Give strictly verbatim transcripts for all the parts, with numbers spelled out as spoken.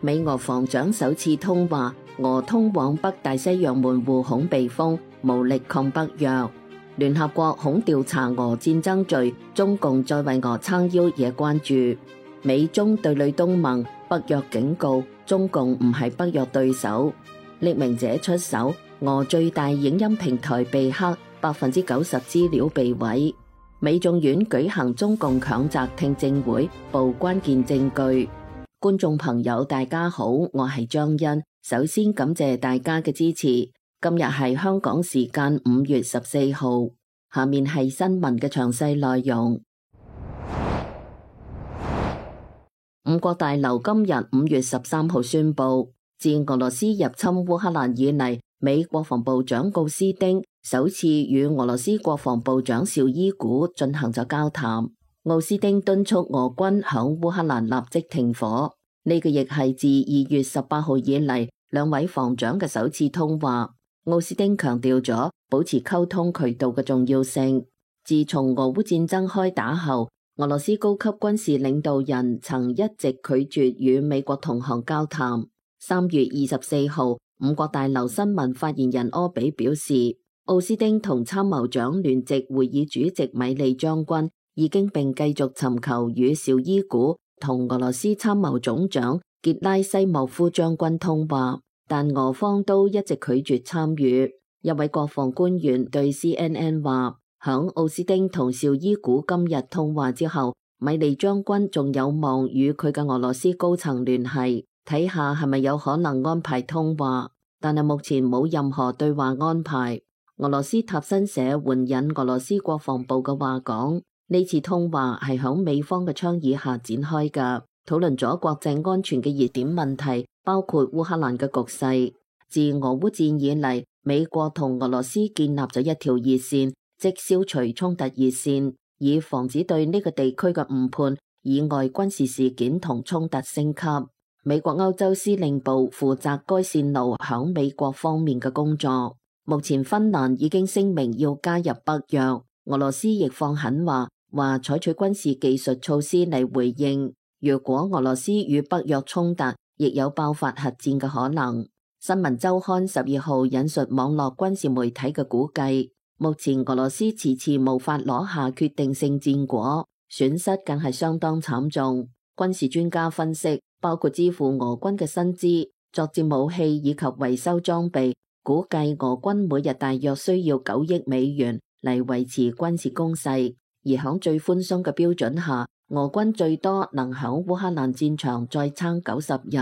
美俄防長首次通話，俄通往北大西洋門戶恐被封，無力抗北約。聯合國恐調查俄戰爭罪，中共再為俄撐腰惹關注。美中對壘東盟，北約警告中共唔係北約對手。匿名者出手，俄最大影音平台被黑，百分之九十資料被毀。美眾院舉行中共強摘聽證會，報關鍵證據。觀眾朋友大家好，我係張欣，首先感謝大家嘅支持。今日係香港時間五月十四號，下面係新聞嘅詳細內容。五角大樓今日五月十三號宣布，自俄羅斯入侵烏克蘭以嚟，美國防部長奧斯丁首次與俄羅斯國防部長紹伊古進行咗交談。奧斯丁敦促俄軍響烏克蘭立即停火，呢個亦係自二月十八號以嚟兩位防長嘅首次通話。奧斯丁強調咗保持溝通渠道嘅重要性。自從俄烏戰爭開打後，俄羅斯高級軍事領導人曾一直拒絕與美國同行交談。三月二十四號，五角大樓新聞發言人柯比表示，奧斯丁同參謀長聯席會議主席米利將軍已經並繼續尋求與紹伊古同俄羅斯參謀總長傑拉西莫夫將軍通話，但俄方都一直拒絕參與。一位國防官員對 C N N 話，響奧斯丁同紹伊古今日通話之後，米利將軍仲有望與佢嘅俄羅斯高層聯繫，睇下係咪有可能安排通話，但係目前冇任何對話安排。俄羅斯塔新社援引俄羅斯國防部嘅話講，呢次通話係響美方嘅倡議下展開嘅，討論咗國際安全嘅熱點問題，包括烏克蘭嘅局勢。自俄烏戰以嚟，美國同俄羅斯建立咗一條熱線，即消除衝突熱線，以防止對呢個地區嘅誤判以外軍事事件同衝突升級。美國歐洲司令部負責該線路響美國方面嘅工作。目前芬蘭已經聲明要加入北約，俄羅斯亦放狠話，話採取軍事技術措施嚟回應。如果俄羅斯與北約衝突，亦有爆發核戰嘅可能。新聞週刊十二號引述網絡軍事媒體嘅估計，目前俄羅斯遲遲無法攞下決定性戰果，損失更係相當慘重。軍事專家分析，包括支付俄軍嘅薪資、作戰武器以及維修裝備，估計俄軍每日大約需要九億美元嚟維持軍事攻勢。而響最寬鬆嘅標準下，俄軍最多能響烏克蘭戰場再撐九十日，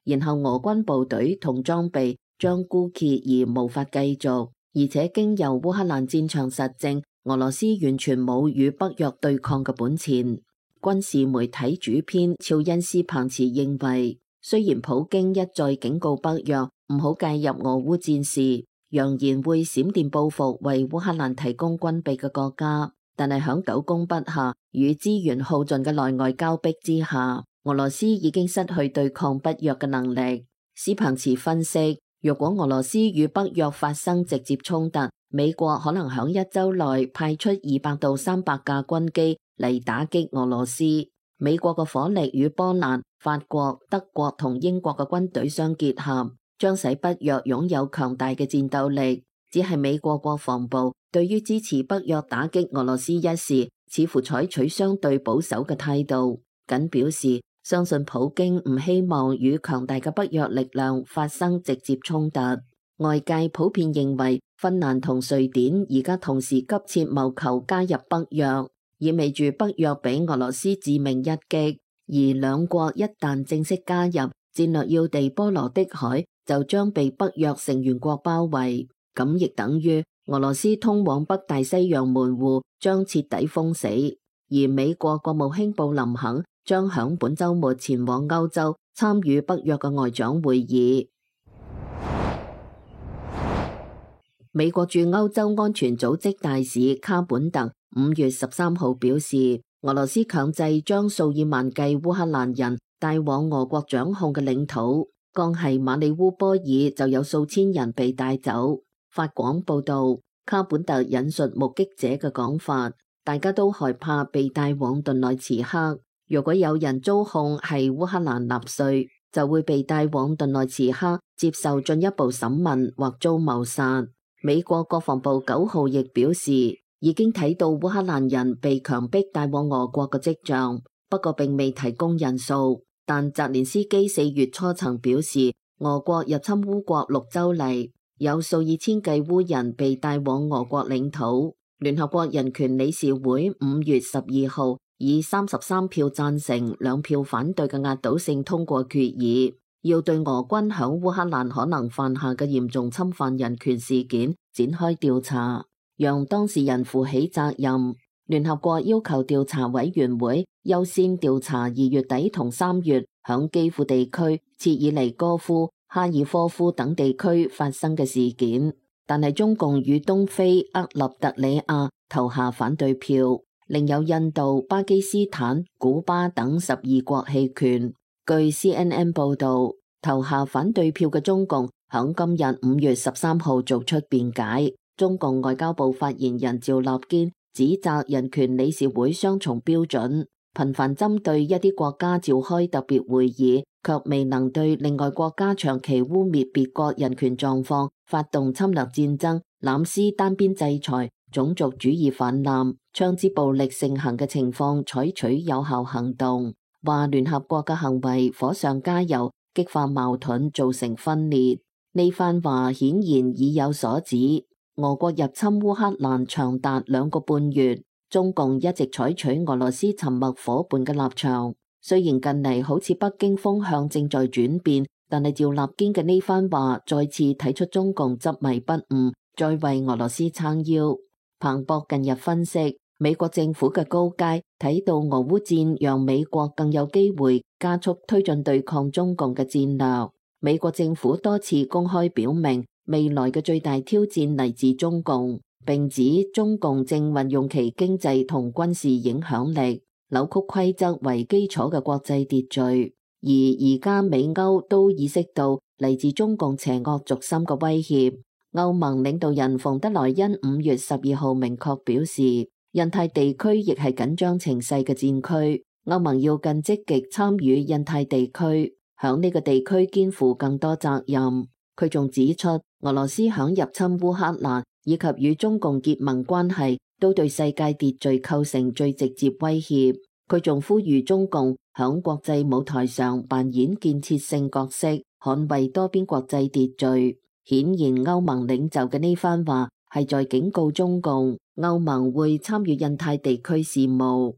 然後俄軍部隊同裝備將枯竭而無法繼續。而且經由烏克蘭戰場實證，俄羅斯完全冇與北約對抗嘅本錢。軍事媒體主編肖恩斯彭茨認為，雖然普京一再警告北約唔好介入俄烏戰事，揚言會閃電報復為烏克蘭提供軍備嘅國家，但係響久攻不下與資源耗盡嘅內外交迫之下，俄羅斯已經失去對抗北約嘅能力。斯彭茨分析，若果俄羅斯與北約發生直接衝突，美國可能響一周內派出二百到三百架軍機嚟打擊俄羅斯。美國嘅火力與波蘭、法國、德國同英國嘅軍隊相結合，將使北約擁有強大嘅戰鬥力。只係美國國防部對於支持北約打擊俄羅斯一事，似乎採取相對保守嘅態度，僅表示相信普京唔希望與強大嘅北約力量發生直接衝突。外界普遍認為，芬蘭同瑞典而家同時急切謀求加入北約，意味住北約俾俄羅斯致命一擊。而兩國一旦正式加入，戰略要地波羅的海就將被北約成員國包圍，咁亦等於俄羅斯通往北大西洋門戶將徹底封死。而美國國務卿布林肯將響本週末前往歐洲參與北約嘅外長會議。美國駐歐洲安全組織大使卡本特五月十三號表示，俄羅斯強制將數以萬計烏克蘭人帶往俄國掌控嘅領土，光係馬里烏波爾就有數千人被帶走。法廣報道，卡本特引述目擊者嘅講法，大家都害怕被帶往頓內茨克。如果有人遭控係烏克蘭納粹，就會被帶往頓內茨克接受進一步審問或遭謀殺。美國國防部九號亦表示，已經睇到烏克蘭人被強迫帶往俄國嘅跡象，不過並未提供人數。但澤連斯基四月初曾表示，俄國入侵烏國六週嚟，有數以千計烏人被帶往俄國領土。聯合國人權理事會五月十二號以三十三票贊成、兩票反對嘅壓倒性通過決議，要對俄軍響烏克蘭可能犯下嘅嚴重侵犯人權事件展開調查，讓當事人負起責任。聯合國要求調查委員會優先調查二月底同三月響基輔地區、切爾尼戈夫、哈爾科夫等地區發生嘅事件，但係中共與東非厄立特里亞投下反對票，另有印度、巴基斯坦、古巴等十二國棄權。據 C N N 報道，投下反對票嘅中共響今日五月十三號做出辯解。中共外交部發言人趙立堅指責人權理事會雙重標準，頻繁針對一啲國家召開特別會議，卻未能對另外國家長期污衊別國人權狀況、發動侵略戰爭、濫施單邊制裁、種族主義氾濫、槍支暴力盛行嘅情況採取有效行動。話聯合國嘅行為火上加油，激化矛盾，造成分裂。呢番話顯然意有所指。俄國入侵烏克蘭長達兩個半月，中共一直採取俄羅斯沉默夥伴嘅立場。雖然近嚟好似北京風向正在轉變，但係趙立堅嘅呢番話再次睇出中共執迷不悟，再為俄羅斯撐腰。彭博近日分析，美國政府嘅高階睇到俄烏戰讓美國更有機會加速推進對抗中共嘅戰略。美國政府多次公開表明，未來嘅最大挑戰嚟自中共，並指中共正運用其經濟同軍事影響力，扭曲規則為基礎嘅國際秩序。而而家美歐都意識到嚟自中共邪惡軸心嘅威脅。歐盟領導人馮德萊恩五月十二號明確表示，印太地區亦係緊張情勢嘅戰區，歐盟要更積極參與印太地區，響呢個地區肩負更多責任。佢仲指出，俄羅斯響入侵烏克蘭以及與中共結盟關係，都對世界秩序構成最直接威脅。佢仲呼籲中共響國際舞台上扮演建設性角色，捍衛多邊國際秩序。顯然，歐盟領袖嘅呢番話係在警告中共，歐盟會參與印太地區事務。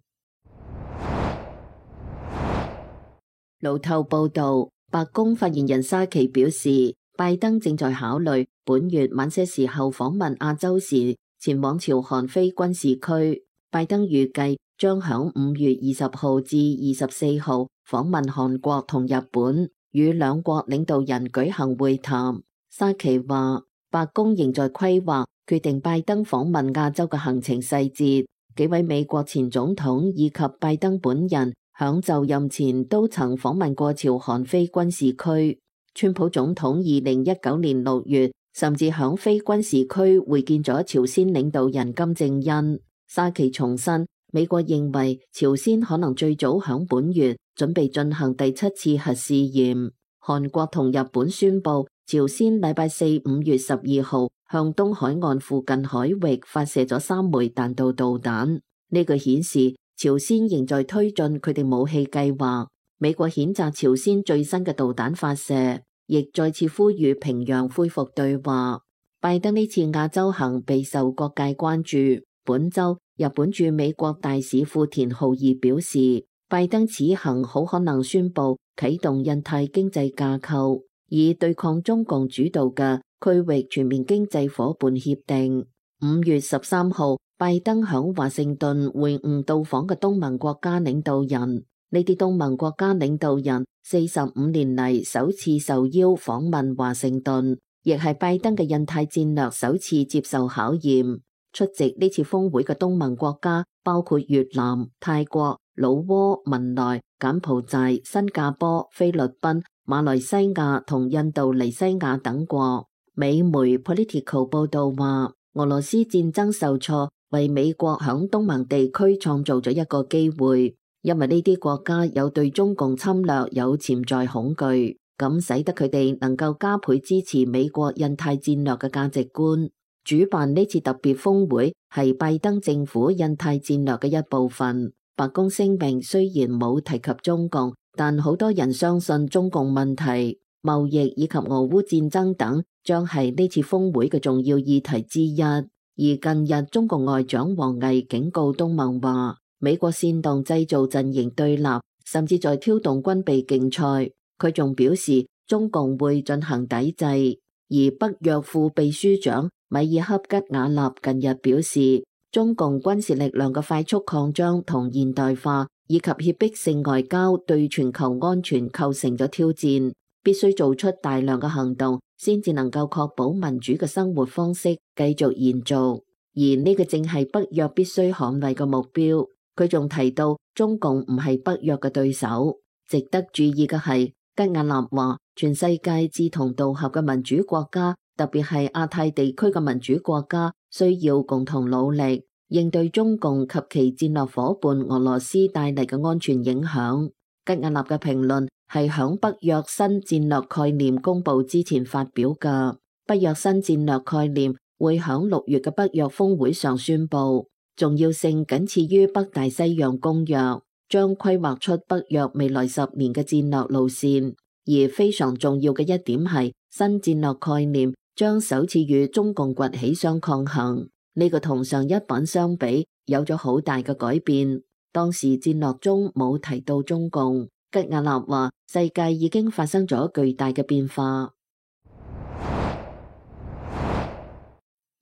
路透報道，白宮發言人沙奇表示，拜登正在考慮本月晚些時候訪問亞洲時，前往朝韓非軍事區。拜登預計將響五月二十號至二十四號訪問韓國同日本，與兩國領導人舉行會談。沙奇話，白宮仍在規劃決定拜登訪問亞洲嘅行程細節。幾位美國前總統以及拜登本人響就任前都曾訪問過朝韓非軍事區。川普總統二零一九年六月甚至響非軍事區會見咗朝鮮領導人金正恩。沙奇重申，美國認為朝鮮可能最早響本月準備進行第七次核試驗。韓國同日本宣布，朝鮮禮拜四五月十二號向東海岸附近海域發射咗三枚彈道導彈。呢個顯示朝鮮仍在推進佢哋武器計劃。美國譴責朝鮮最新嘅導彈發射，亦再次呼籲平壤恢復對話。拜登呢次亞洲行備受各界關注。本週，日本駐美國大使富田浩二表示，拜登此行好可能宣布啟動印太經濟架構，以對抗中共主導嘅區域全面經濟夥伴協定。五月十三號，拜登響華盛頓會晤到訪嘅東盟國家領導人。呢啲東盟國家領導人四十五年嚟首次受邀訪問華盛頓，亦係拜登嘅印太戰略首次接受考驗。出席呢次峰會嘅東盟國家包括越南、泰國、老撾、文萊、柬埔寨、新加坡、菲律賓、馬來西亞同印度尼西亞等國。美媒 Politico 報道話，俄羅斯戰爭受挫，為美國響東盟地區創造咗一個機會。因為呢啲國家有對中共侵略有潛在恐懼，咁使得佢哋能夠加倍支持美國印太戰略嘅價值觀。主辦呢次特別峰會係拜登政府印太戰略嘅一部分。白宮聲明雖然冇提及中共，但好多人相信中共問題、貿易以及俄烏戰爭等將係呢次峰會嘅重要議題之一。而近日中共外長王毅警告東盟話，美國煽動製造陣營對立，甚至在挑動軍備競賽。佢仲表示中共會進行抵制。而北約副秘書長米爾克吉瓦納近日表示，中共軍事力量嘅快速擴張同現代化，以及脅迫性外交對全球安全構成咗挑戰，必須做出大量嘅行動，先至能夠確保民主嘅生活方式繼續延續。而呢個正係北約必須捍衛嘅目標。佢仲提到中共唔係北約嘅對手。值得注意嘅係，吉瓦納話，全世界志同道合嘅民主國家，特別係亞太地區嘅民主國家，需要共同努力應對中共及其戰略夥伴俄羅斯帶嚟嘅安全影響。吉瓦納嘅評論係響北約新戰略概念公布之前發表嘅。北約新戰略概念會響六月嘅北約峰會上宣布，重要性僅次於北大西洋公約，將規劃出北約未來十年嘅戰略路線。而非常重要嘅一點係，新戰略概念將首次與中共崛起相抗衡。呢個同上一版相比有咗好大嘅改變。當時戰略中冇提到中共。吉瓦納話，世界已經發生咗巨大嘅變化。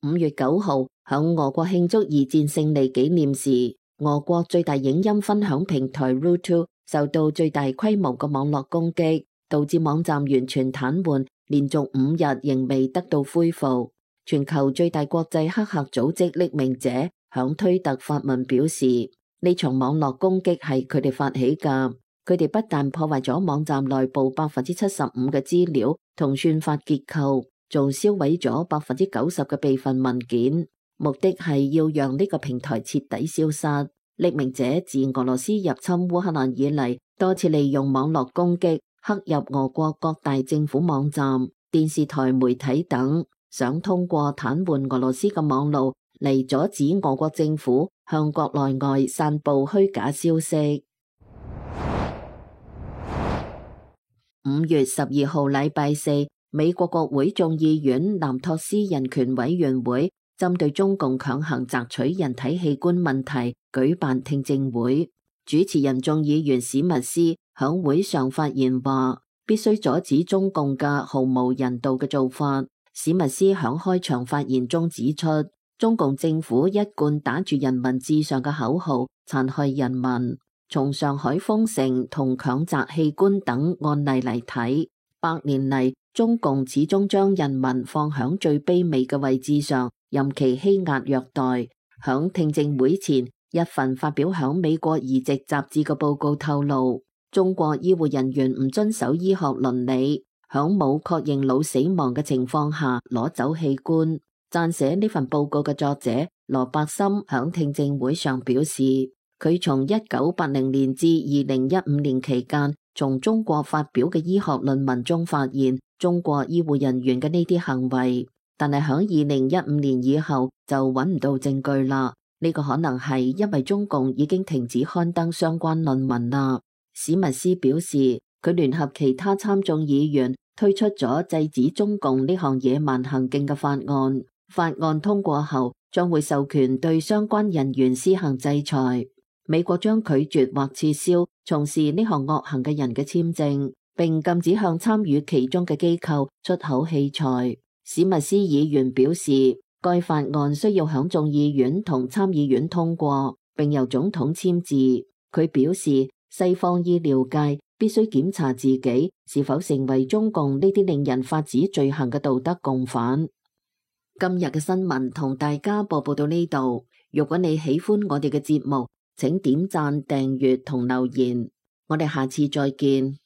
五月九號，響俄國慶祝二戰勝利紀念時，俄國最大影音分享平台 YouTube 受到最大規模嘅網絡攻擊，導致網站完全癱瘓，連續五日仍未得到恢復。全球最大國際黑客組織匿名者響推特發文表示，呢場網絡攻擊係佢哋發起㗎。佢哋不但破壞咗網站內部百分之七十五嘅資料同算法結構，仲燒毀咗百分之九十嘅備份文件，目的係要讓呢個平台徹底消失。匿名者自俄羅斯入侵烏克蘭以嚟，多次利用網絡攻擊，黑入俄國各大政府網站、電視台媒體等，想通過癱瘓俄羅斯嘅網路嚟阻止俄國政府向國內外散布虛假消息。五月十二號禮拜四，美國國會眾議院南托斯人權委員會針對中共強行摘取人體器官問題舉辦聽證會。主持人眾議員史密斯響會上發言話，必須阻止中共嘅毫無人道嘅做法。史密斯響開場發言中指出，中共政府一貫打住人民至上嘅口號，殘害人民。從上海封城同強摘器官等案例嚟睇，百年嚟中共始終將人民放響最卑微嘅位置上，任其欺壓虐待。響聽證會前，一份發表響美國移植雜誌嘅報告透露，中國醫護人員唔遵守醫學倫理，響冇確認腦死亡嘅情況下攞走器官。撰寫呢份報告嘅作者羅伯森響聽證會上表示，佢從一九八零年至二零一五年期間，從中國發表嘅醫學論文中發現中國醫護人員嘅呢啲行為，但係響二零一五年以後就揾唔到證據啦。呢個可能係因為中共已經停止刊登相關論文啦。史密斯表示，佢聯合其他參眾議員推出咗制止中共呢項野蠻行徑嘅法案。法案通過後，將會授權對相關人員施行制裁。美國將拒絕或撤銷從事呢項惡行嘅人嘅簽證，並禁止向參與其中嘅機構出口器材。史密斯議員表示，該法案需要響眾議院同參議院通過，並由總統簽字。佢表示，西方醫療界必須檢查自己是否成為中共呢啲令人髮指罪行嘅道德共犯。今日嘅新聞同大家播報到呢度。如果你喜歡我哋嘅節目，請點讚、訂閱同留言，我哋下次再見。